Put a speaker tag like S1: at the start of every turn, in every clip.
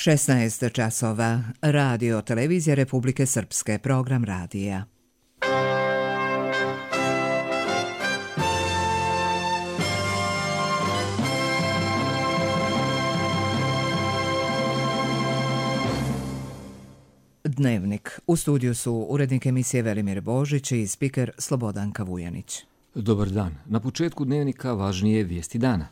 S1: 16 časova. Radio Televizija Republike Srpske. Program radija. Dnevnik. U studiju su urednik emisije Velimir Božić i spiker Slobodanka Vujanić.
S2: Dobar dan. Na početku dnevnika važnije vijesti dana.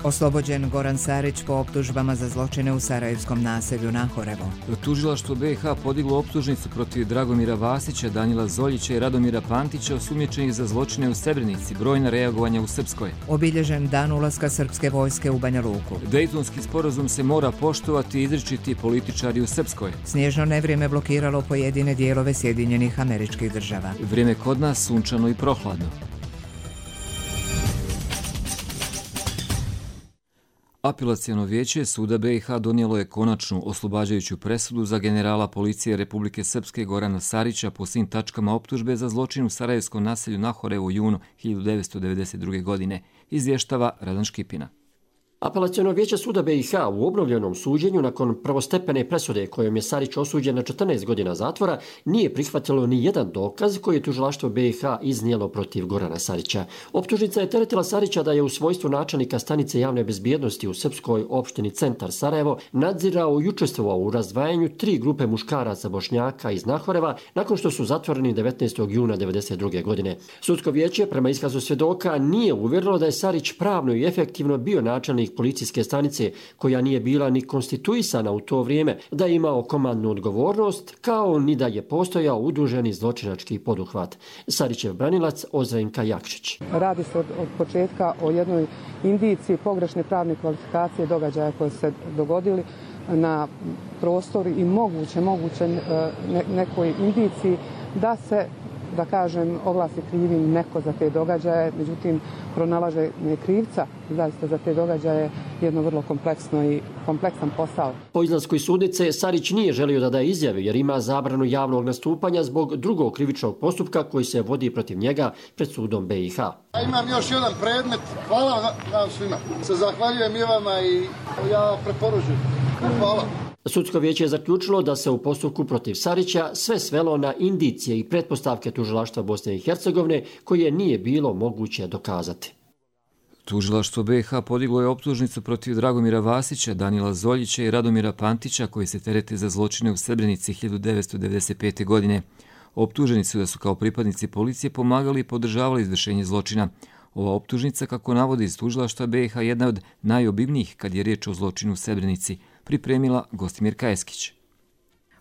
S1: Oslobođen Goran Sarić po optužbama za zločine u sarajevskom naselju Nahorevo.
S2: Tužilaštvo BiH podiglo optužnicu protiv Dragomira Vasića, Danila Zoljića i Radomira Pantića osumnjičenih za zločine u Srebrenici, brojna reagovanja u Srpskoj.
S1: Obilježen dan ulaska srpske vojske u Banja Luku.
S2: Dejtonski sporazum se mora poštovati i izričiti političari u Srpskoj.
S1: Snježno nevrijeme blokiralo pojedine dijelove Sjedinjenih Američkih Država.
S2: Vrijeme kod nas sunčano i prohladno. Apelaciono vijeće suda BiH donijelo je konačnu oslobađajuću presudu za generala policije Republike Srpske Gorana Sarića po svim tačkama optužbe za zločin u sarajevskom naselju Nahorevo u junu 1992. godine, izvještava Radan Škipina.
S3: Apelaciono vijeće suda BiH u obnovljenom suđenju nakon prvostepene presude kojom je Sarić osuđen na 14 godina zatvora nije prihvatilo ni jedan dokaz koji je tužilaštvo BiH iznijelo protiv Gorana Sarića. Optužnica je teretila Sarića da je u svojstvu načelnika stanice javne bezbjednosti u srpskoj opštini Centar Sarajevo nadzirao i učestvovao u razdvajanju 3 grupe muškaraca Bošnjaka iz Nahoreva nakon što su zatvoreni 19. juna 1992. godine. Sudsko vijeće prema iskazu svjedoka nije uvjerilo da je Sarić pravno i efektivno bio načelnik policijske stanice koja nije bila ni konstituisana u to vrijeme, da je imao komandnu odgovornost, kao ni da je postojao udruženi zločinački poduhvat. Sarićev branilac Ozrenka Jakšić.
S4: Radi se od početka o jednoj indiciji pogrešne pravne kvalifikacije događaja koje se dogodili na prostoru i moguće nekoj indiciji da se, da kažem, oglasi krivim neko za te događaje, međutim, pronalaže krivca zaista za te događaje jedno vrlo kompleksan posao.
S3: Po izlasku iz sudnice, Sarić nije želio da daje izjave jer ima zabranu javnog nastupanja zbog drugog krivičnog postupka koji se vodi protiv njega pred sudom BiH.
S5: Ja imam još jedan predmet. Hvala vam svima. Se zahvaljujem i vama i ja preporučujem. Hvala.
S3: Sudsko vijeće je zaključilo da se u postupku protiv Sarića sve svelo na indicije i pretpostavke tužilaštva Bosne i Hercegovine koje nije bilo moguće dokazati.
S2: Tužilaštvo BiH podiglo je optužnicu protiv Dragomira Vasića, Danila Zoljića i Radomira Pantića koji se terete za zločine u Srebrenici 1995. godine. Optuženi su da su kao pripadnici policije pomagali i podržavali izvršenje zločina. Ova optužnica, kako navodi iz tužilaštva BiH, jedna od najobimnijih kad je riječ o zločinu u Srebrenici, pripremila Gostimir Kajeskić.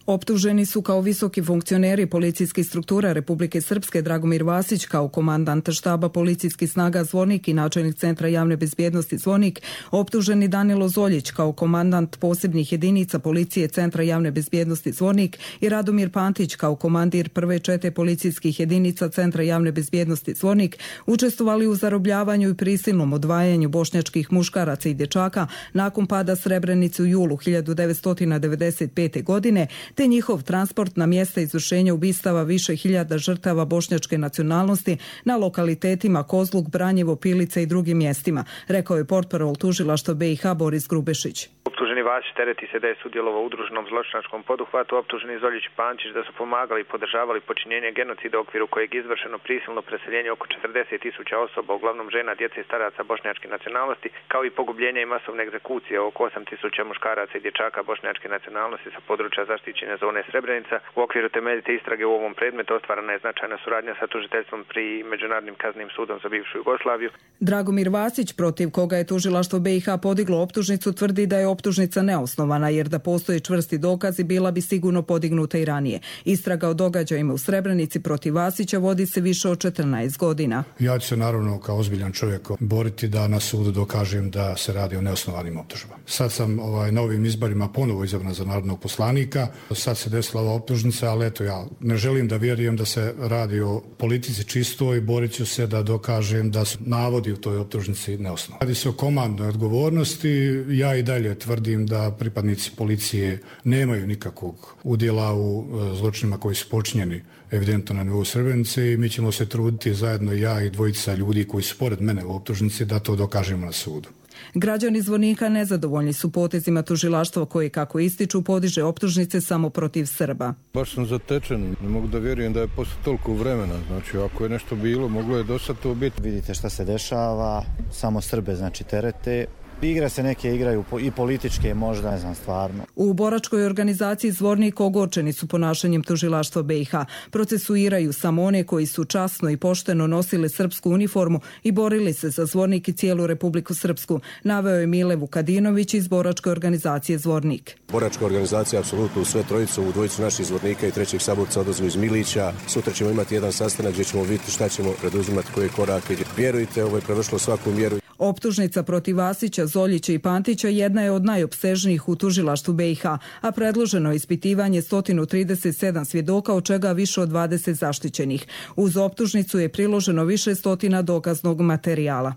S6: Optuženi su kao visoki funkcioneri policijskih struktura Republike Srpske Dragomir Vasić kao komandant štaba policijskih snaga Zvornik i načelnik centra javne bezbjednosti Zvornik, optuženi Danilo Zoljić kao komandant posebnih jedinica policije centra javne bezbjednosti Zvornik i Radomir Pantić kao komandir prve čete policijskih jedinica centra javne bezbjednosti Zvornik učestvovali u zarobljavanju i prisilnom odvajanju bošnjačkih muškaraca i dječaka nakon pada Srebrenice u julu 1995. godine, te njihov transport na mjesta izvršenja ubistava više hiljada žrtava bošnjačke nacionalnosti na lokalitetima Kozluk, Branjevo, Pilica i drugim mjestima, rekao je portparol tužilaštva BiH Boris Grubešić.
S7: Optuženi Vasić tereti se da je sudjelovao u udruženom zločinačkom poduhvatu, optuženi Zoljić i Pančić da su pomagali i podržavali počinjenje genocida u okviru kojeg je izvršeno prisilno preseljenje oko 40.000 osoba, uglavnom žena, djece i staraca bošnjačke nacionalnosti, kao i pogubljenje i masovne egzekucije oko 8.000 muškaraca i dječaka bošnjačke nacionalnosti sa područja zaštićene zone Srebrenica. U okviru temeljite istrage u ovom predmetu ostvarena je značajna suradnja sa tužiteljstvom pri Međunarodnim kaznenim sudom za bivšu Jugoslaviju.
S6: Dragomir Vasić, protiv koga je tužilaštvo BiH podiglo optužnicu, tvrdi da je optužnica neosnovana jer da postoje čvrsti dokazi bila bi sigurno podignuta i ranije. Istraga o događajima u Srebrenici protiv Vasića vodi se više od 14 godina.
S8: Ja ću se naravno kao ozbiljan čovjek boriti da na sudu dokažem da se radi o neosnovanim optužbama. Sad sam na ovim izborima ponovo izabran za narodnog poslanika. Sad se desila ova optužnica, ali eto, ja ne želim da vjerujem da se radi o politici čistoj, borit ću se da dokažem da su navodi u toj optužnici neosnovani. Radi se o komandnoj odgovornosti. Ja i dalje tvrdim da pripadnici policije nemaju nikakvog udjela u zločinima koji su počinjeni evidentno na nivou Srebrenice i mi ćemo se truditi zajedno ja i dvojica ljudi koji su pored mene u optužnici da to dokažemo na sudu.
S6: Građani Zvornika nezadovoljni su potezima tužilaštva koji, kako ističu, podiže optužnice samo protiv Srba.
S9: Baš sam zatečen, ne mogu da vjerujem da je posle toliko vremena, znači ako je nešto bilo, moglo je do sad to biti.
S10: Vidite šta se dešava, samo Srbe znači terete. Igre se neke igraju i političke možda, ne znam stvarno.
S6: U boračkoj organizaciji Zvornik ogorčeni su ponašanjem tužilaštva BiH. Procesuiraju samo one koji su časno i pošteno nosili srpsku uniformu i borili se za Zvornik i cijelu Republiku Srpsku, naveo je Mile Vukadinović iz boračke organizacije Zvornik.
S11: Boračka organizacija apsolutno u sve trojicu, u dvojicu naših Zvornika i trećeg Saborca odlazu iz Milića. Sutra ćemo imati jedan sastanak gdje ćemo vidjeti šta ćemo preduzimati, koje korake. Vjerujte, ovo je prevršilo svaku mjeru.
S6: Optužnica protiv Vasića, Zoljića i Pantića jedna je od najopsežnijih u tužilaštvu BiH, a predloženo je ispitivanje 137 svjedoka, od čega više od 20 zaštićenih. Uz optužnicu je priloženo više stotina dokaznog materijala.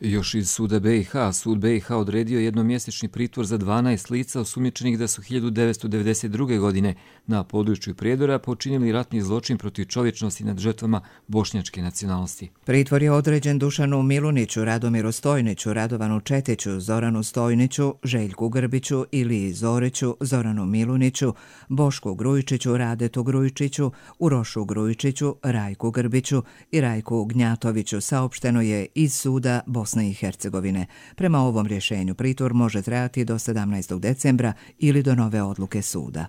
S2: Još iz suda BiH, sud BiH odredio jednomjesečni pritvor za 12 lica osumnjičenih da su 1992. godine na području Prijedora počinili ratni zločin protiv čovječnosti nad žrtvama bošnjačke nacionalnosti.
S1: Pritvor je određen Dušanu Miluniću, Radomiru Stojniću, Radovanu Četiću, Zoranu Stojniću, Željku Grbiću, Iliji Zoriću, Zoranu Miluniću, Bošku Grujičiću, Radetu Grujičiću, Urošu Grujičiću, Rajku Grbiću i Rajku Gnjatoviću, saopšteno je iz suda Bosne i Hercegovine. Prema ovom rješenju pritvor može trajati do 17. decembra ili do nove odluke suda.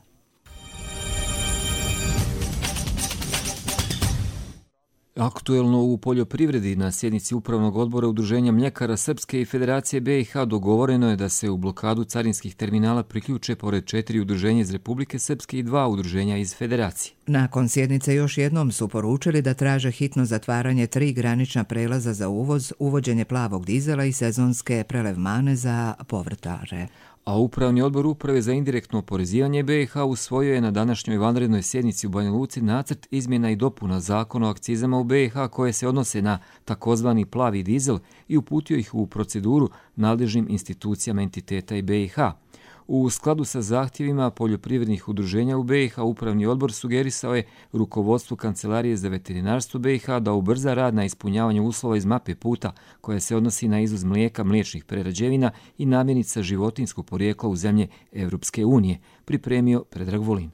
S2: Aktuelno u poljoprivredi na sjednici Upravnog odbora Udruženja mljekara Srpske i Federacije BiH dogovoreno je da se u blokadu carinskih terminala priključe pored 4 udruženja iz Republike Srpske i 2 udruženja iz Federacije.
S1: Nakon sjednice još jednom su poručili da traže hitno zatvaranje 3 granična prelaza za uvoz, uvođenje plavog dizela i sezonske prelevmane za povrtare.
S2: A Upravni odbor Uprave za indirektno oporezivanje BiH usvojio je na današnjoj vanrednoj sjednici u Banja Luci nacrt izmjena i dopuna zakona o akcizama u BiH koje se odnose na takozvani plavi dizel i uputio ih u proceduru nadležnim institucijama entiteta i BiH. U skladu sa zahtjevima poljoprivrednih udruženja u BiH, Upravni odbor sugerisao je rukovodstvu Kancelarije za veterinarstvo BiH da ubrza rad na ispunjavanju uslova iz mape puta koja se odnosi na izvoz mlijeka, mliječnih prerađevina i namirnica životinjskog porijekla u zemlje Evropske unije, pripremio Predrag Volin.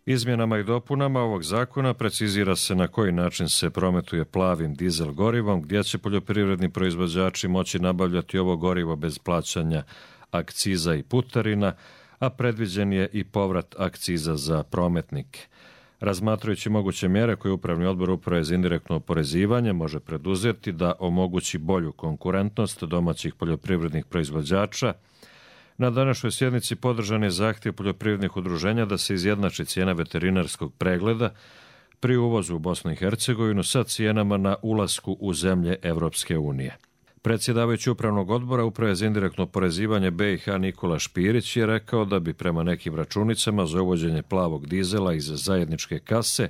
S12: Izmjenama i dopunama ovog zakona precizira se na koji način se prometuje plavim dizel gorivom, gdje će poljoprivredni proizvođači moći nabavljati ovo gorivo bez plaćanja akciza i putarina, a predviđen je i povrat akciza za prometnike. Razmatrajući moguće mjere koje Upravni odbor Uprave za indirektno oporezivanje može preduzeti da omogući bolju konkurentnost domaćih poljoprivrednih proizvođača, na današnjoj sjednici podržan je zahtjev poljoprivrednih udruženja da se izjednači cijena veterinarskog pregleda pri uvozu u Bosnu i Hercegovinu sa cijenama na ulasku u zemlje Evropske unije. Predsjedavajući Upravnog odbora Uprave za indirektno oporezivanje BiH Nikola Špirić je rekao da bi prema nekim računicama za uvođenje plavog dizela iz zajedničke kase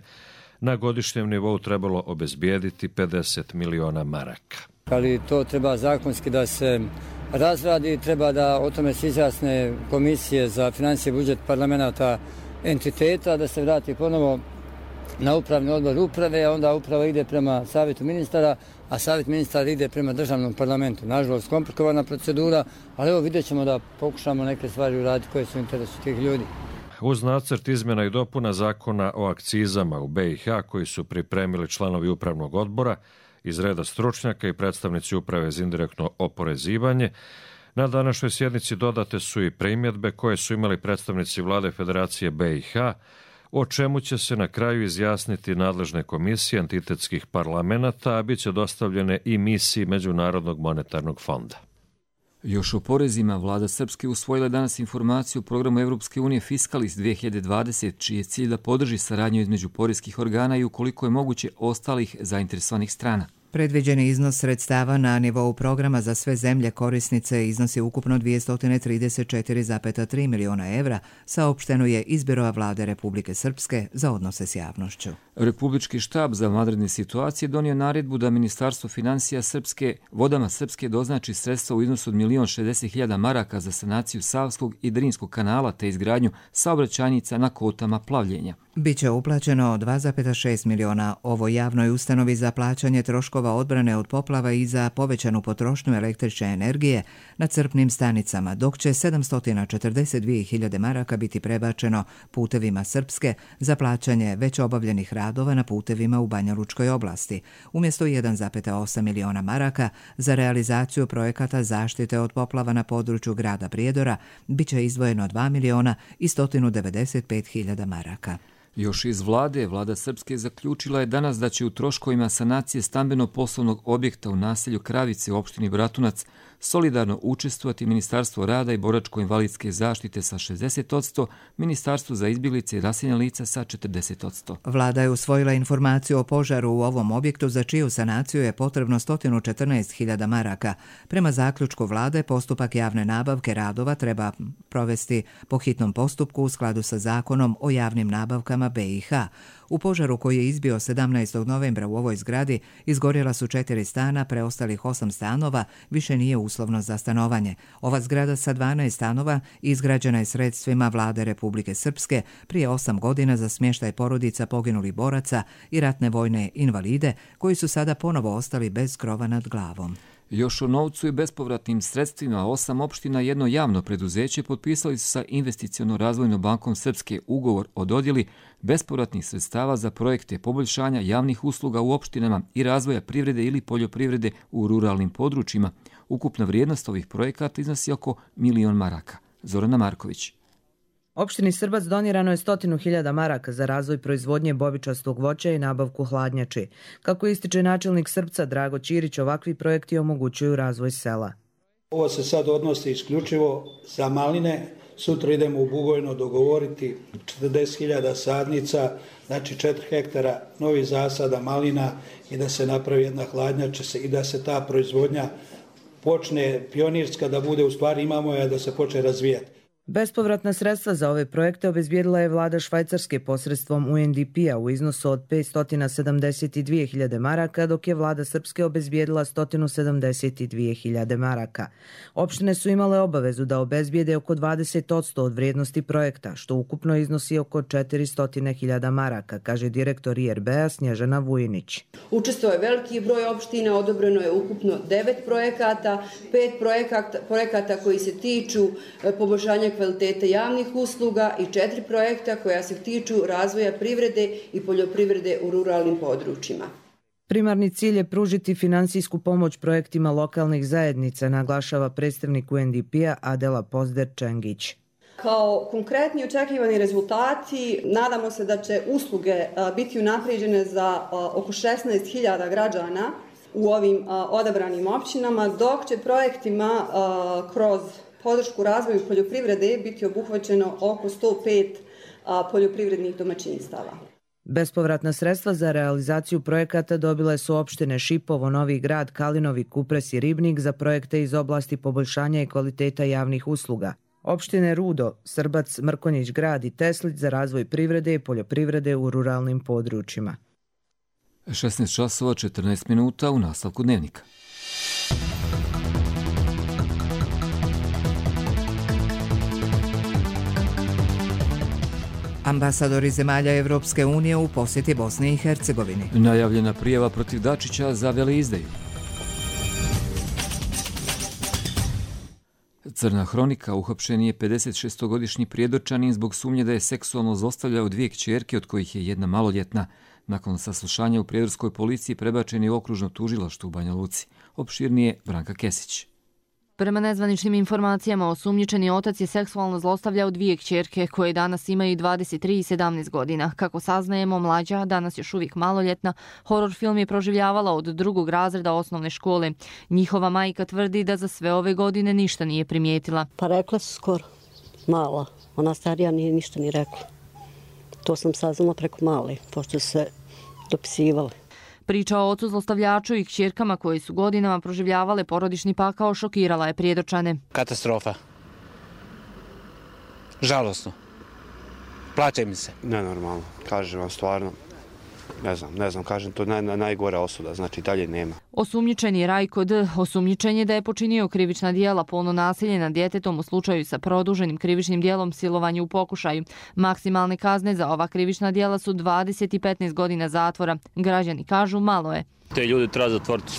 S12: na godišnjem nivou trebalo obezbijediti 50 miliona maraka.
S13: Ali to treba zakonski da se razradi, treba da o tome se izjasne komisije za financije i budžet parlamenta entiteta, da se vrati ponovo na Upravni odbor Uprave, a onda Uprava ide prema Savjetu ministara, a Savjet ministara ide prema državnom parlamentu. Nažalost, komplikovana procedura, ali evo vidjet ćemo da pokušamo neke stvari uraditi koje su u interesu tih ljudi.
S12: Uz nacrt izmjena i dopuna zakona o akcizama u BiH koji su pripremili članovi Upravnog odbora iz reda stručnjaka i predstavnici Uprave za indirektno oporezivanje, na današnjoj sjednici dodate su i primjedbe koje su imali predstavnici Vlade Federacije BiH, o čemu će se na kraju izjasniti nadležne komisije entitetskih parlamenta, a bit će dostavljene i misiji Međunarodnog monetarnog fonda.
S2: Još o porezima, vlada Srpske usvojila danas informaciju o programu Evropske unije Fiskalis 2020, čiji je cilj da podrži saradnju između poreskih organa i ukoliko je moguće ostalih zainteresovanih strana.
S1: Predviđeni iznos sredstava na nivou programa za sve zemlje korisnice iznosi ukupno 234,3 miliona evra, saopšteno je iz Biroa vlade Republike Srpske za odnose s javnošću.
S2: Republički štab za vanredne situacije donio naredbu da Ministarstvo financija vodama Srpske doznači sredstva u iznosu od 1.060.000 maraka za sanaciju Savskog i Drinskog kanala te izgradnju saobraćajnica na kotama plavljenja.
S1: Biće uplaćeno 2,6 miliona ovoj javnoj ustanovi za plaćanje troškova odbrane od poplava i za povećanu potrošnju električne energije na crpnim stanicama, dok će 742.000 maraka biti prebačeno Putevima Srpske za plaćanje već obavljenih radova na putevima u Banja Lučkoj oblasti, umjesto 1,8 miliona maraka za realizaciju projekata zaštite od poplava na području grada Prijedora, biće izdvojeno 2.195.000 maraka.
S2: Još iz vlada Srpske zaključila je danas da će u troškovima sanacije stambeno-poslovnog objekta u naselju Kravice u opštini Bratunac solidarno učestvovati Ministarstvo rada i boračko-invalidske zaštite sa 60%, Ministarstvo za izbjeglice i raseljena lica sa 40%.
S1: Vlada je usvojila informaciju o požaru u ovom objektu za čiju sanaciju je potrebno 114.000 maraka. Prema zaključku vlade, postupak javne nabavke radova treba provesti po hitnom postupku u skladu sa zakonom o javnim nabavkama BiH. U požaru koji je izbio 17. novembra u ovoj zgradi izgorjela su 4 stana, preostalih 8 stanova više nije uslovno za stanovanje. Ova zgrada sa 12 stanova izgrađena je sredstvima vlade Republike Srpske prije 8 godina za smještaj porodica poginulih boraca i ratne vojne invalide koji su sada ponovo ostali bez krova nad glavom.
S2: Još o novcu i bespovratnim sredstvima 8 opština i jedno javno preduzeće potpisali su sa Investiciono-razvojnom bankom Srpske ugovor o dodjeli bespovratnih sredstava za projekte poboljšanja javnih usluga u opštinama i razvoja privrede ili poljoprivrede u ruralnim područjima. Ukupna vrijednost ovih projekata iznosi oko 1.000.000 maraka. Zorana Marković.
S14: Opštini Srbac donirano je 100.000 maraka za razvoj proizvodnje bobičastog voća i nabavku hladnjači. Kako ističe načelnik Srpca Drago Ćirić, ovakvi projekti omogućuju razvoj sela.
S15: Ovo se sad odnosi isključivo za maline. Sutra idemo u Bugojno dogovoriti 40.000 sadnica, znači 4 hektara novih zasada malina i da se napravi jedna hladnjača i da se ta proizvodnja počne pionirska, da bude u stvari imamo je da se počne razvijati.
S14: Bespovratna sredstva za ove projekte obezbijedila je vlada Švajcarske posredstvom UNDP-a u iznosu od 572.000 maraka, dok je vlada Srpske obezbijedila 172.000 maraka. Opštine su imale obavezu da obezbijede oko 20% od vrijednosti projekta, što ukupno iznosi oko 400.000 maraka, kaže direktor IRB-a Snježana Vujinić.
S16: Učestvovao je veliki broj opština, odobreno je ukupno 9 projekata, 5 projekata koji se tiču poboljšanja kvalitete javnih usluga i 4 projekta koja se tiču razvoja privrede i poljoprivrede u ruralnim područjima.
S14: Primarni cilj je pružiti finansijsku pomoć projektima lokalnih zajednica, naglašava predstavnik UNDP-a Adela Pozder-Čengić.
S16: Kao konkretni očekivani rezultati, nadamo se da će usluge biti unaprijeđene za oko 16.000 građana u ovim odabranim općinama, dok će projektima kroz podršku razvoju poljoprivrede biti obuhvaćeno oko 105 poljoprivrednih domaćinstava.
S14: Bespovratna sredstva za realizaciju projekata dobile su opštine Šipovo, Novi Grad, Kalinovi, Kupres i Ribnik za projekte iz oblasti poboljšanja i kvaliteta javnih usluga. Opštine Rudo, Srbac, Mrkonjić Grad i Teslić za razvoj privrede i poljoprivrede u ruralnim područjima.
S2: 16:14 u nastavku dnevnika.
S1: Ambasadori zemalja Evropske unije u posjeti Bosni i Hercegovini.
S2: Najavljena prijava protiv Dačića za veleizdaju. Crna hronika, uhapšen je 56-godišnji Prijedorčanin zbog sumnje da je seksualno zlostavljao 2 kćerke, od kojih je jedna maloljetna. Nakon saslušanja u Prijedorskoj policiji prebačen je u okružno tužilaštvo u Banja Luci. Opširnije Branka Kesić.
S17: Prema nezvaničnim informacijama, osumnjičeni otac je seksualno zlostavljao 2 kćerke koje danas imaju 23 i 17 godina. Kako saznajemo, mlađa, danas još uvijek maloljetna, horor film je proživljavala od 2. razreda osnovne škole. Njihova majka tvrdi da za sve ove godine ništa nije primijetila.
S18: Pa rekla su skoro, mala. Ona starija nije ništa ni rekla. To sam saznala preko male, pošto se dopisivali.
S17: Priča o ocu zlostavljaču i kćerkama koje su godinama proživljavale porodični pakao šokirala je Prijedočane.
S19: Katastrofa. Žalosno. Plaće mi se.
S20: Nenormalno, kažem vam stvarno. Ne znam, kažem, to je najgora osuda, znači dalje nema.
S17: Osumnjičeni Rajko D. osumnjičen je da je počinio krivična djela polno nasilje nad djetetom u slučaju sa produženim krivičnim djelom silovanje u pokušaju. Maksimalne kazne za ova krivična djela su 20 i 15 godina zatvora. Građani kažu malo je.
S21: Te ljudi treba zatvoriti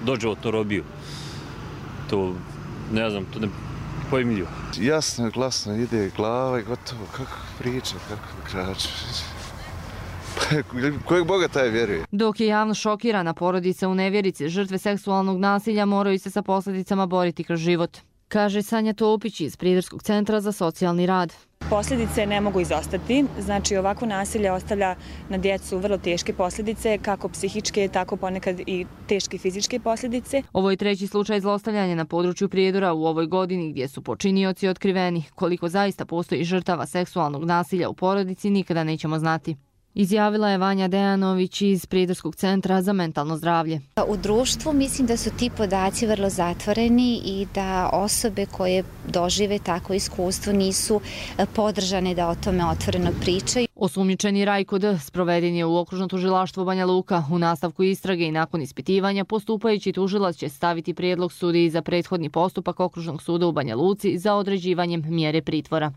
S21: doživotnu robiju. To ne znam, to ne pojmljivo.
S22: Jasno, glasno ide glava i gotovo. Kako priča, kako krače. Kojeg Boga taj vjeruje?
S17: Dok je javno šokirana, porodica u nevjerici, žrtve seksualnog nasilja moraju se sa posljedicama boriti kroz život, kaže Sanja Topić iz Prijedorskog centra za socijalni rad.
S23: Posljedice ne mogu izostati, znači ovako nasilje ostavlja na djecu vrlo teške posljedice, kako psihičke, tako ponekad i teške fizičke posljedice.
S17: Ovo je treći slučaj zlostavljanja na području Prijedora u ovoj godini gdje su počinioci otkriveni. Koliko zaista postoji žrtava seksualnog nasilja u porodici nikada nećemo znati. Izjavila je Vanja Dejanović iz Prijedorskog centra za mentalno zdravlje.
S24: U društvu mislim da su ti podaci vrlo zatvoreni i da osobe koje dožive takvo iskustvo nisu podržane da o tome otvoreno pričaju.
S17: Osumnjičeni Rajko D. sproveden je u okružno tužilaštvo Banja Luka. U nastavku istrage i nakon ispitivanja postupajući tužilac će staviti prijedlog sudiji za prethodni postupak okružnog suda u Banja Luci za određivanjem mjere pritvora.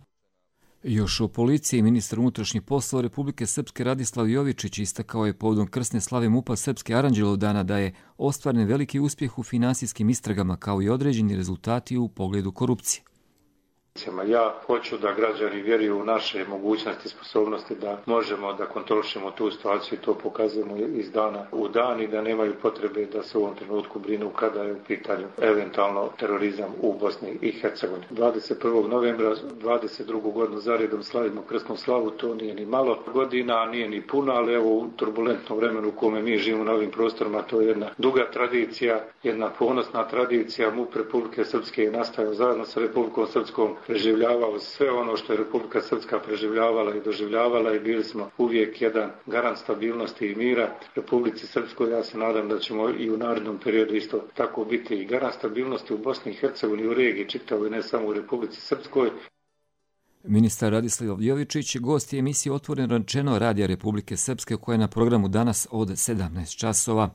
S2: Još o policiji, ministar unutrašnjih poslova Republike Srpske Radislav Jovičić istakao je povodom krsne slave MUP-a Srpske Aranđelov dana da je ostvaren veliki uspjeh u finansijskim istragama kao i određeni rezultati u pogledu korupcije.
S25: Ja hoću da građani vjeruju u naše mogućnosti i sposobnosti da možemo da kontrolišemo tu situaciju i to pokazujemo iz dana u dan i da nemaju potrebe da se u ovom trenutku brinu kada je u pitanju eventualno terorizam u Bosni i Hercegovini. 21. novembra 22. godinu zaredom slavimo krsnu slavu, to nije ni malo godina, nije ni puno, ali evo u turbulentnom vremenu u kome mi živimo na ovim prostorima, to je jedna duga tradicija, jedna ponosna tradicija. MUP Republike Srpske je nastajao zajedno sa Republikom Srpskom, preživljavao sve ono što je Republika Srpska preživljavala i doživljavala i bili smo uvijek jedan garant stabilnosti i mira Republici Srpskoj. Ja se nadam da ćemo i u narednom periodu isto tako biti i garant stabilnosti u Bosni i Hercegovini, u regiji čitavoj, ne samo u Republici Srpskoj.
S2: Ministar Radislav Jovičić gost je emisije Otvoreno rečeno Radija Republike Srpske koja je na programu danas od 17 časova.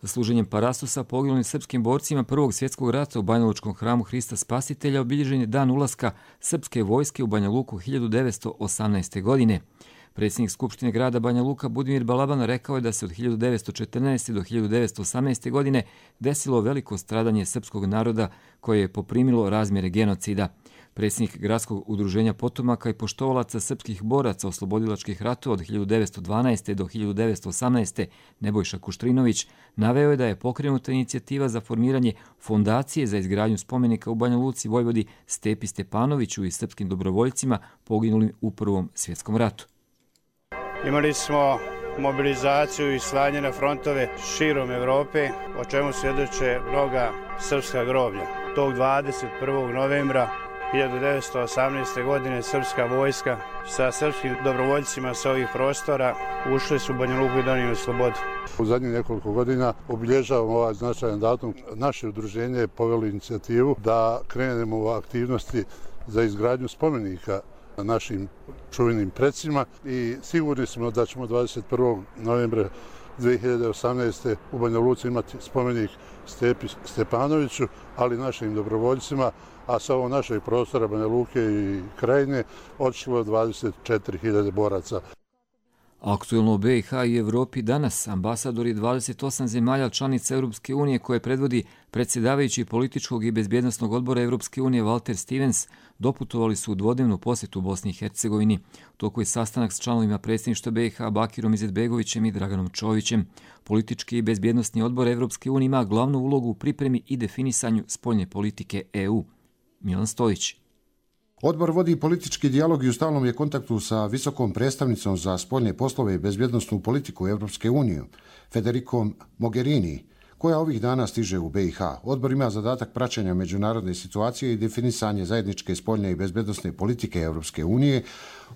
S2: Služenjem parastosa poginulim srpskim borcima Prvog svjetskog rata u Banjalučkom hramu Hrista Spasitelja obilježen je dan ulaska srpske vojske u Banja Luku 1918. godine. Predsjednik Skupštine grada Banja Luka Budimir Balaban rekao je da se od 1914. do 1918. godine desilo veliko stradanje srpskog naroda koje je poprimilo razmjere genocida. Predsjednik Gradskog udruženja potomaka i poštovalaca srpskih boraca oslobodilačkih ratova od 1912. do 1918. Nebojša Kuštrinović naveo je da je pokrenuta inicijativa za formiranje fondacije za izgradnju spomenika u Banja Luci Vojvodi Stepi Stepanoviću i srpskim dobrovoljcima poginulim u Prvom svjetskom ratu.
S26: Imali smo mobilizaciju i slanje na frontove širom Evrope, o čemu svjedoče mnoga srpska groblja. Tog 21. novembra 1918. godine srpska vojska sa srpskim dobrovoljcima sa ovih prostora ušli su u Banja Luku i donijeli slobodu.
S27: U zadnjih nekoliko godina obilježavamo ovaj značajan datum. Naše udruženje je povelo inicijativu da krenemo u aktivnosti za izgradnju spomenika našim čuvenim predsima i sigurni smo da ćemo 21. novembra 2018. u Banja Luci imati spomenik Stepi Stepanoviću, ali našim dobrovoljcima, a sa ovog našeg prostora Banja Luke i Krajine otišlo je 24.000 boraca.
S2: Aktuelno u BiH i Evropi danas ambasadori 28 zemalja članica Europske unije koje predvodi predsjedavajući političkog i bezbjednosnog odbora Europske unije Walter Stevens doputovali su u dvodnevnu posjetu Bosni i Hercegovini. U toku je sastanak s članovima predsjedništva BiH Bakirom Izetbegovićem i Draganom Čovićem. Politički i bezbjednosni odbor Europske unije ima glavnu ulogu u pripremi i definisanju spoljne politike EU. Milan Stojić.
S28: Odbor vodi politički dijalog i u stalnom je kontaktu sa visokom predstavnicom za spoljne poslove i bezbjednosnu politiku Europske unije, Federikom Mogherini, koja ovih dana stiže u BiH. Odbor ima zadatak praćenja međunarodne situacije i definisanje zajedničke spoljne i bezbednosne politike Europske unije,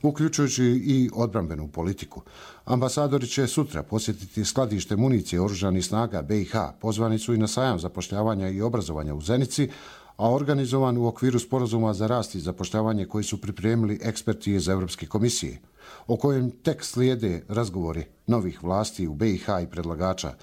S28: uključujući i odbrambenu politiku. Ambasadori će sutra posjetiti skladište municije oružanih snaga BiH. Pozvani su i na sajam zapošljavanja i obrazovanja u Zenici, a organizovan u okviru sporazuma za rast i zapošljavanje koji su pripremili eksperti iz Europske komisije, o kojem tek slijede razgovori novih vlasti u BiH i predlagača.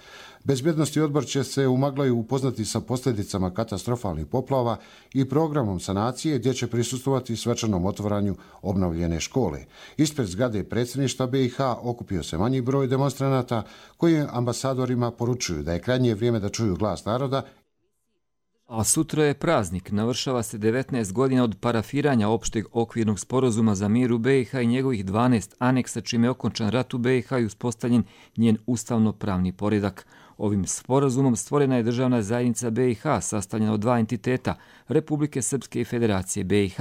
S28: Bezbjednosni odbor će se u Maglaju upoznati sa posljedicama katastrofalnih poplava i programom sanacije, gdje će prisustvovati svečanom otvaranju obnovljene škole. Ispred zgrade predsjedništva BiH okupio se manji broj demonstranata koji ambasadorima poručuju da je krajnje vrijeme da čuju glas naroda.
S2: A sutra je praznik, navršava se 19 godina od parafiranja opšteg okvirnog sporazuma za mir u BiH i njegovih 12 aneksa, čime je okončan rat u BiH i uspostavljen njen ustavno-pravni poredak. Ovim sporazumom stvorena je državna zajednica BiH, sastavljena od dva entiteta, Republike Srpske i Federacije BiH.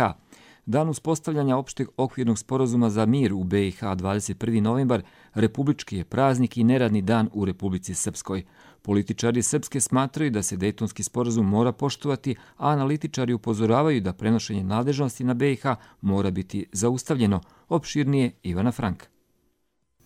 S2: Dan uspostavljanja opšteg okvirnog sporazuma za mir u BiH, 21. novembar, republički je praznik i neradni dan u Republici Srpskoj. Političari Srpske smatraju da se Dejtonski sporazum mora poštovati, a analitičari upozoravaju da prenošenje nadležnosti na BiH mora biti zaustavljeno. Opširnije Ivana Frank.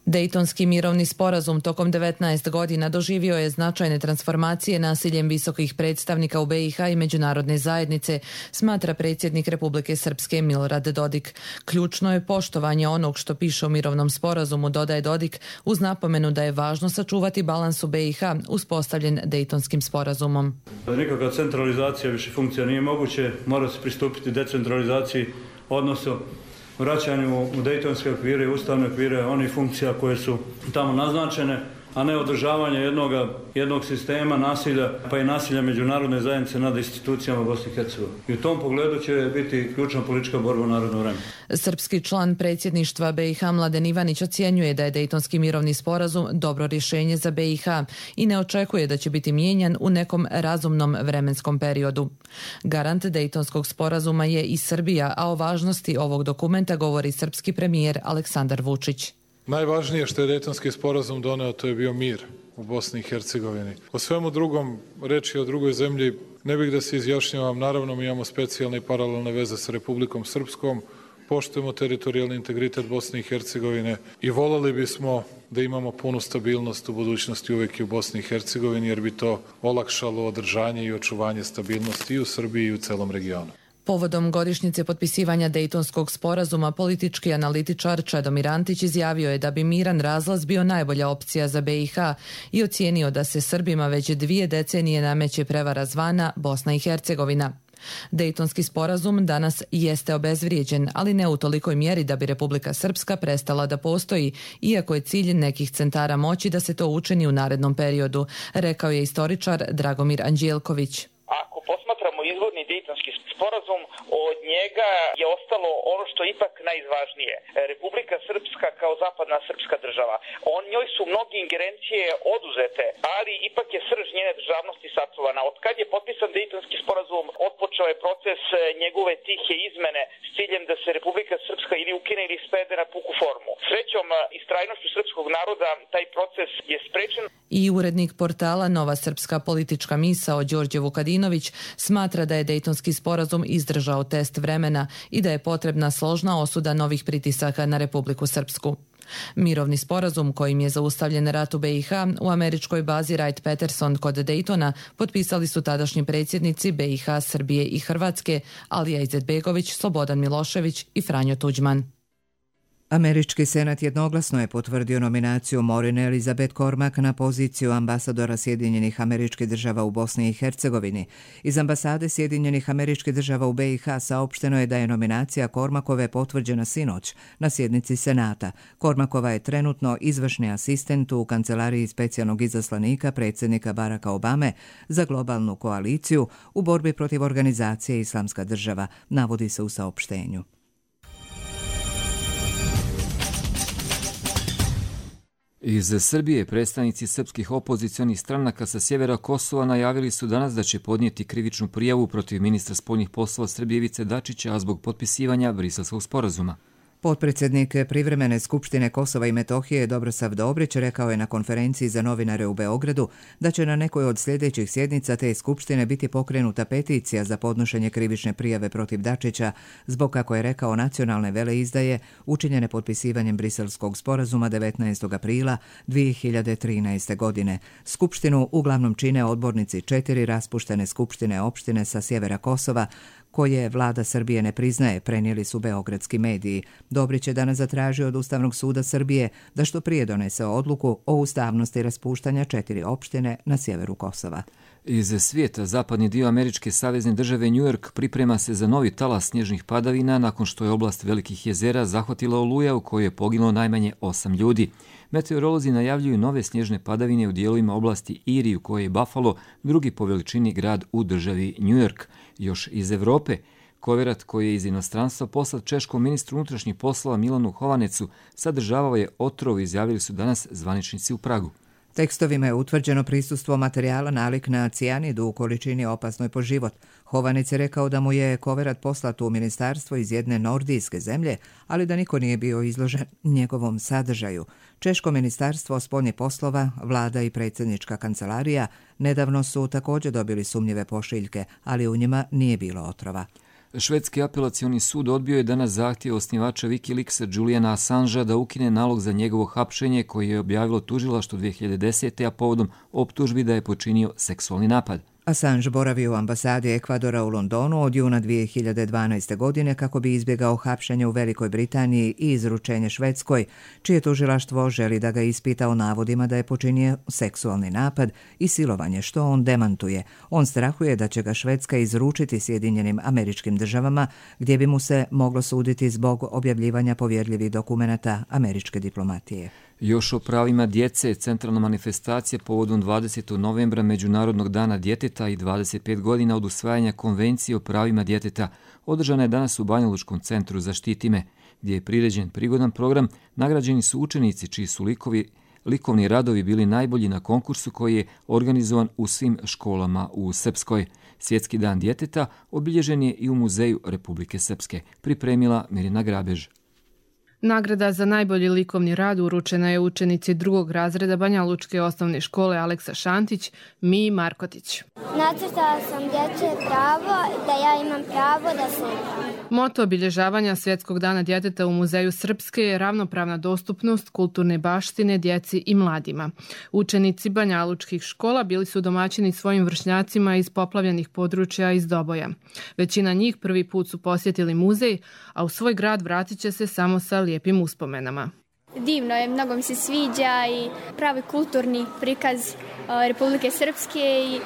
S14: Dejtonski mirovni sporazum tokom 19 godina doživio je značajne transformacije nasiljem visokih predstavnika u BiH i međunarodne zajednice, smatra predsjednik Republike Srpske Milorad Dodik. Ključno je poštovanje onog što piše u mirovnom sporazumu, dodaje Dodik, uz napomenu da je važno sačuvati balans u BiH uspostavljen Dejtonskim sporazumom.
S3: Nikakva centralizacija više funkcija nije moguće, mora se pristupiti decentralizaciji, odnosno vraćanju u dejtonske okvire i ustavne okvire onih funkcija koje su tamo naznačene, a ne održavanje jednog sistema nasilja, pa i nasilja međunarodne zajednice nad institucijama Bosne i Hercegovine. I u tom pogledu će biti ključna politička borba u naredno vreme.
S14: Srpski član predsjedništva BiH Mladen Ivanić ocjenjuje da je Dejtonski mirovni sporazum dobro rješenje za BiH i ne očekuje da će biti mijenjan u nekom razumnom vremenskom periodu. Garant Dejtonskog sporazuma je i Srbija, a o važnosti ovog dokumenta govori srpski premijer Aleksandar Vučić.
S4: Najvažnije što je Dejtonski sporazum doneo, to je bio mir u Bosni i Hercegovini. O svemu drugom, reči o drugoj zemlji, ne bih da se izjašnjavam. Naravno, mi imamo specijalne i paralelne veze sa Republikom Srpskom, poštujemo teritorijalni integritet Bosne i Hercegovine i voljeli bismo da imamo punu stabilnost u budućnosti uvijek i u Bosni i Hercegovini, jer bi to olakšalo održanje i očuvanje stabilnosti i u Srbiji i u celom regionu.
S14: Povodom godišnjice potpisivanja Dejtonskog sporazuma, politički analitičar Čedomir Antić izjavio je da bi miran razlaz bio najbolja opcija za BiH i ocijenio da se Srbima već 2 decenije nameće prevara zvana Bosna i Hercegovina. Dejtonski sporazum danas jeste obezvrijeđen, ali ne u tolikoj mjeri da bi Republika Srpska prestala da postoji, iako je cilj nekih centara moći da se to učini u narednom periodu, rekao je istoričar Dragomir Anđelković.
S5: Ako posmatramo izvorni Dejtonski sporazum, od njega je ostalo ono što je ipak najvažnije. Republika Srpska kao zapadna srpska država. Njoj su mnoge ingerencije oduzete, ali ipak je srž njene državnosti sačuvana. Od kad je potpisan Dejtonski sporazum, otpočeo je proces njegove tihe izmene s ciljem da se Republika Srpska ili ukine ili svede na puku formu. Srećom i strajnošću srpskog naroda taj proces je sprečen.
S14: I urednik portala Nova srpska politička misao Đorđe Vukadinović smatra da je Dejtonski sporazum izdržao test vremena i da je potrebna složna osuda novih pritisaka na Republiku Srpsku. Mirovni sporazum kojim je zaustavljen rat u BiH u američkoj bazi Wright-Patterson kod Dejtona potpisali su tadašnji predsjednici BiH, Srbije i Hrvatske Alija Izetbegović, Slobodan Milošević i Franjo Tuđman.
S1: Američki senat jednoglasno je potvrdio nominaciju Maureen Elizabeth Cormack na poziciju ambasadora Sjedinjenih Američkih Država u Bosni i Hercegovini. Iz ambasade Sjedinjenih Američkih Država u BiH saopšteno je da je nominacija Cormackove potvrđena sinoć na sjednici senata. Cormackova je trenutno izvršni asistent u kancelariji specijalnog izaslanika predsjednika Baracka Obame za globalnu koaliciju u borbi protiv organizacije Islamska država, navodi se u saopštenju.
S2: Iz Srbije predstavnici srpskih opozicionih stranaka sa sjevera Kosova najavili su danas da će podnijeti krivičnu prijavu protiv ministra spoljnih poslova Srbije Ivice Dačića, a zbog potpisivanja Briselskog sporazuma.
S1: Potpredsjednik privremene skupštine Kosova i Metohije Dobrosav Dobrić rekao je na konferenciji za novinare u Beogradu da će na nekoj od sljedećih sjednica te skupštine biti pokrenuta peticija za podnošenje krivične prijave protiv Dačića zbog, kako je rekao, nacionalne veleizdaje učinjene potpisivanjem Briselskog sporazuma 19. aprila 2013. godine. Skupštinu uglavnom čine odbornici 4 raspuštene skupštine opštine sa sjevera Kosova, koje vlada Srbije ne priznaje, prenijeli su beogradski mediji. Dobrić je danas zatražio od Ustavnog suda Srbije da što prije donese odluku o ustavnosti raspuštanja 4 opštine na sjeveru Kosova.
S2: Iz svijeta, zapadni dio američke savezne države New York priprema se za novi talas snježnih padavina nakon što je oblast Velikih jezera zahvatila oluja u kojoj je poginulo najmanje 8 ljudi. Meteorolozi najavljuju nove snježne padavine u dijelovima oblasti Erie, u kojoj je Buffalo drugi po veličini grad u državi New York. Još iz Evrope, koverat koji je iz inostranstva poslat češkom ministru unutrašnjih poslova Milanu Hovanecu sadržavao je otrov, izjavili su danas zvaničnici u Pragu.
S1: Tekstovima je utvrđeno prisustvo materijala nalik na cijanidu u količini opasnoj po život. Hovanec je rekao da mu je koverat poslat u ministarstvo iz jedne nordijske zemlje, ali da niko nije bio izložen njegovom sadržaju. Češko ministarstvo spoljnih poslova, vlada i predsjednička kancelarija nedavno su također dobili sumnjive pošiljke, ali u njima nije bilo otrova.
S2: Švedski apelacioni sud odbio je danas zahtjev osnivača Wikileaksa Juliana Assangea da ukine nalog za njegovo hapšenje koji je objavilo tužilaštvo 2010. a povodom optužbi da je počinio seksualni napad.
S1: Assange boravi u ambasadi Ekvadora u Londonu od juna 2012. godine kako bi izbjegao hapšenje u Velikoj Britaniji i izručenje Švedskoj, čije tužilaštvo želi da ga ispita o navodima da je počinio seksualni napad i silovanje, što on demantuje. On strahuje da će ga Švedska izručiti Sjedinjenim Američkim Državama, gdje bi mu se moglo suditi zbog objavljivanja povjerljivih dokumenata američke diplomatije.
S2: Još o pravima djece, centralna manifestacija povodom 20. novembra Međunarodnog dana djeteta i 25 godina od usvajanja Konvencije o pravima djeteta održana je danas u Banjalučkom centru Zaštiti me, gdje je priređen prigodan program. Nagrađeni su učenici čiji su likovni radovi bili najbolji na konkursu koji je organizovan u svim školama u Srpskoj. Svjetski dan djeteta obilježen je i u Muzeju Republike Srpske, pripremila Mirina Grabež.
S6: Nagrada za najbolji likovni rad uručena je učenici 2. razreda Banjalučke osnovne škole Aleksa Šantić, Miji Markotić.
S7: Nacrtala sam dječje pravo, da ja imam pravo da se...
S6: Moto obilježavanja Svjetskog dana djeteta u Muzeju Srpske je ravnopravna dostupnost kulturne baštine djeci i mladima. Učenici banjalučkih škola bili su domaćini svojim vršnjacima iz poplavljenih područja iz Doboja. Većina njih prvi put su posjetili muzej, a u svoj grad vratit će se samo sa lijepim uspomenama.
S7: Divno je, mnogo mi se sviđa i pravi kulturni prikaz Republike Srpske i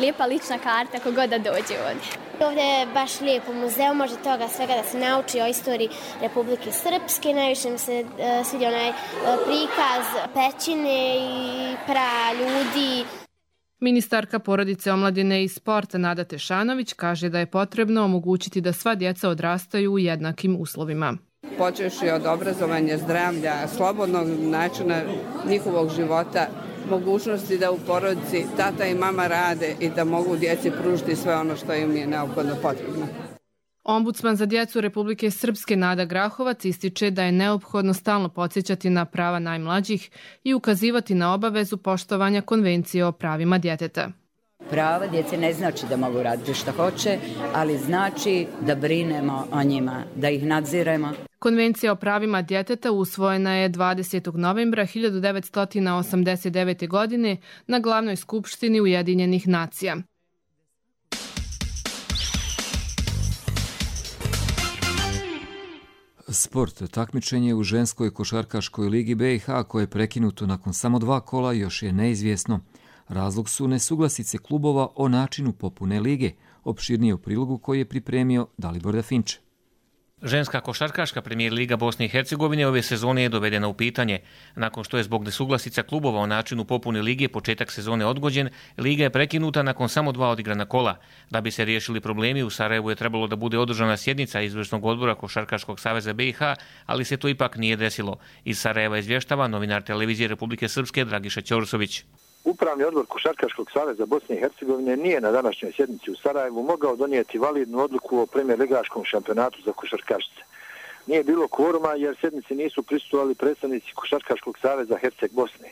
S7: lijepa lična karta kogod da dođe ovdje. Ovdje je baš lijepo muzeu, može toga svega da se nauči o istoriji Republike Srpske. Najviše mi se sviđa onaj prikaz pećine i ljudi.
S6: Ministarka porodice, omladine i sporta Nada Tešanović kaže da je potrebno omogućiti da sva djeca odrastaju u jednakim uslovima.
S8: Počevši od obrazovanja, zdravlja, slobodnog načina njihovog života, mogućnosti da u porodici tata i mama rade i da mogu djeci pružiti sve ono što im je neophodno potrebno.
S6: Ombudsman za djecu Republike Srpske Nada Grahovac ističe da je neophodno stalno podsjećati na prava najmlađih i ukazivati na obavezu poštovanja Konvencije o pravima djeteta.
S9: Prava djece ne znači da mogu raditi što hoće, ali znači da brinemo o njima, da ih nadziremo.
S6: Konvencija o pravima djeteta usvojena je 20. novembra 1989. godine na Glavnoj skupštini Ujedinjenih nacija.
S2: Sport. Takmičenje u ženskoj košarkaškoj ligi BiH koje je prekinuto nakon samo 2 kola još je neizvjesno. Razlog su nesuglasice klubova o načinu popune lige, opširnije u prilogu koji je pripremio Dalibor Dafinče.
S10: Ženska košarkaška premijer liga Bosne i Hercegovine ove sezone je dovedena u pitanje. Nakon što je zbog nesuglasica klubova o načinu popune lige početak sezone odgođen, liga je prekinuta nakon samo 2 odigrana kola. Da bi se riješili problemi, u Sarajevu je trebalo da bude održana sjednica izvršnog odbora Košarkaškog saveza BiH, ali se to ipak nije desilo. Iz Sarajeva izvještava novinar televizije Republike Srpske Dragiša Ćorsović.
S11: Upravni odbor Košarkaškog saveza Bosne i Hercegovine nije na današnjoj sjednici u Sarajevu mogao donijeti validnu odluku o premijer ligaškom šampionatu za košarkašice. nije bilo kvoruma jer sjednici nisu prisustvovali predstavnici Košarkaškog saveza Herceg Bosne.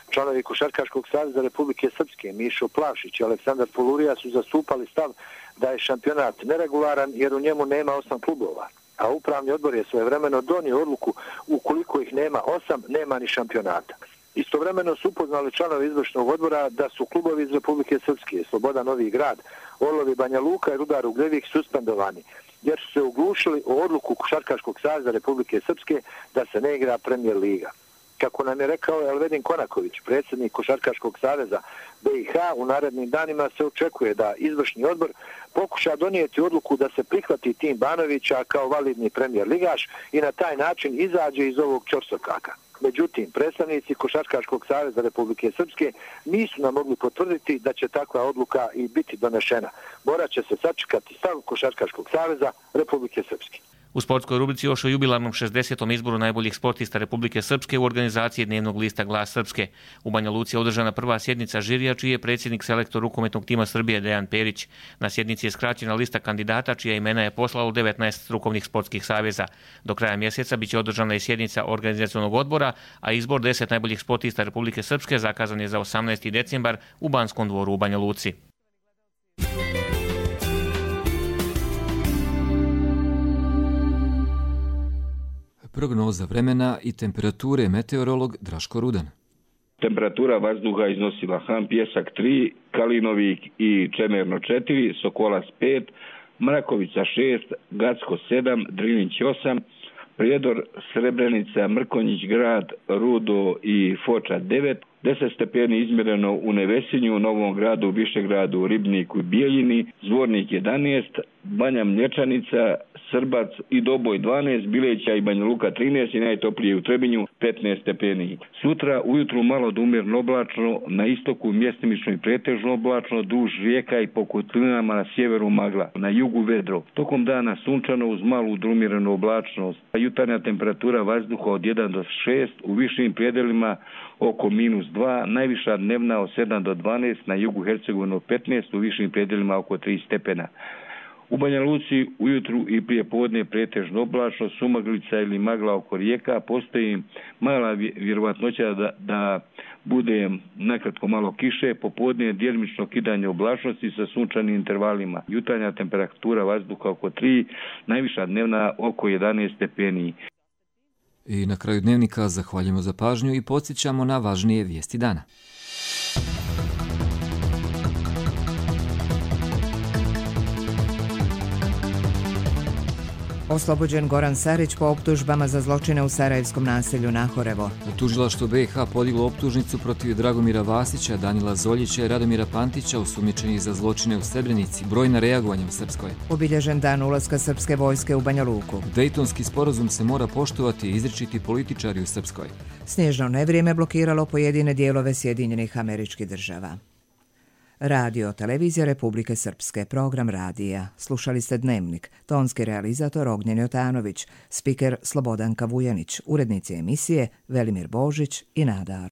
S11: Članovi Košarkaškog saveza Republike Srpske Mišo Plavšić i Aleksandar Polurija su zastupali stav da je šampionat neregularan jer u njemu nema 8 klubova, a upravni odbor je svojevremeno donio odluku ukoliko ih nema 8, nema ni šampionata. Istovremeno su upoznali članovi izvršnog odbora da su klubovi iz Republike Srpske, Sloboda Novi Grad, Orlovi Banja Luka i Rudar Ugljevik suspendovani, jer su se oglušili o odluku Košarkaškog saveza Republike Srpske da se ne igra Premier liga. Kako nam je rekao Elvedin Konaković, predsjednik Košarkaškog saveza BiH, u narednim danima se očekuje da izvršni odbor pokuša donijeti odluku da se prihvati tim Banovića kao validni Premier ligaš i na taj način izađe iz ovog ćorsokaka. Međutim, predstavnici Košarkaškog saveza Republike Srpske nisu nam mogli potvrditi da će takva odluka i biti donešena. Morat će se sačekati stav Košarkaškog saveza Republike Srpske.
S10: U sportskoj rubrici još o jubilarnom 60. izboru najboljih sportista Republike Srpske u organizaciji dnevnog lista Glas Srpske. U Banja Luci je održana prva sjednica žirija, čiji je predsjednik selektor rukometnog tima Srbije Dejan Perić. Na sjednici je skraćena lista kandidata, čija imena je poslalo 19 strukovnih sportskih saveza. Do kraja mjeseca biće održana i sjednica organizacionog odbora, a izbor 10 najboljih sportista Republike Srpske zakazan je za 18. decembar u Banskom dvoru u Banja Luci.
S2: Prognoza vremena i temperature meteorolog Draško Rudan.
S12: Temperatura vazduha iznosila Han Pjesak 3, Kalinovik i Čemerno 4, Sokolac 5, Mrakovica 6, Gacko 7, Drinić 8, Prijedor, Srebrenica, Mrkonjić grad, Rudo i Foča 9, 10 stepeni izmjereno u Nevesinju, Novom gradu, Višegradu, Ribniku i Bijeljini, Zvornik 11, Banja Mlječanica, Srbac i Doboj 12, Bileća i Banja Luka 13 i najtoplije u Trebinju 15 stepeni. Sutra ujutru malo do umjerno oblačno, na istoku mjestimično i pretežno oblačno, duž rijeka i po kotlinama na sjeveru magla, na jugu vedro. Tokom dana sunčano uz malu umjerenu oblačnost. Jutarnja temperatura vazduha od 1 do 6, u višim predelima oko -2, najviša dnevna od 7 do 12, na jugu Hercegovine 15, u višim predelima oko 3 stepena. U Banja Luci ujutru i prije podne pretežno oblačno, sumaglica ili magla oko rijeka, postoji mala vjerovatnoća da bude nakratko malo kiše, popodne djelimično kidanje oblačnosti sa sunčanim intervalima. Jutarnja temperatura vazduha oko 3, najviša dnevna oko 11 stepeni.
S2: I na kraju dnevnika zahvaljujemo za pažnju i podsjećamo na važnije vijesti dana.
S1: Oslobođen Goran Sarić po optužbama za zločine u sarajevskom naselju Nahorevo.
S2: Tužilaštvo BiH podiglo optužnicu protiv Dragomira Vasića, Danila Zoljića i Radomira Pantića, osumnjičenih za zločine u Srebrenici. Brojna reagovanja u Srpskoj.
S1: Obilježen dan ulaska srpske vojske u Banja Luku.
S2: Dejtonski sporazum se mora poštovati i izričiti političari u Srpskoj.
S1: Snježno nevrijeme blokiralo pojedine dijelove Sjedinjenih Američkih Država. Radio Televizija Republike Srpske, program radija. Slušali ste Dnevnik, tonski realizator Ognjen Jotanović, spiker Slobodanka Vujanić, urednici emisije Velimir Božić i Nada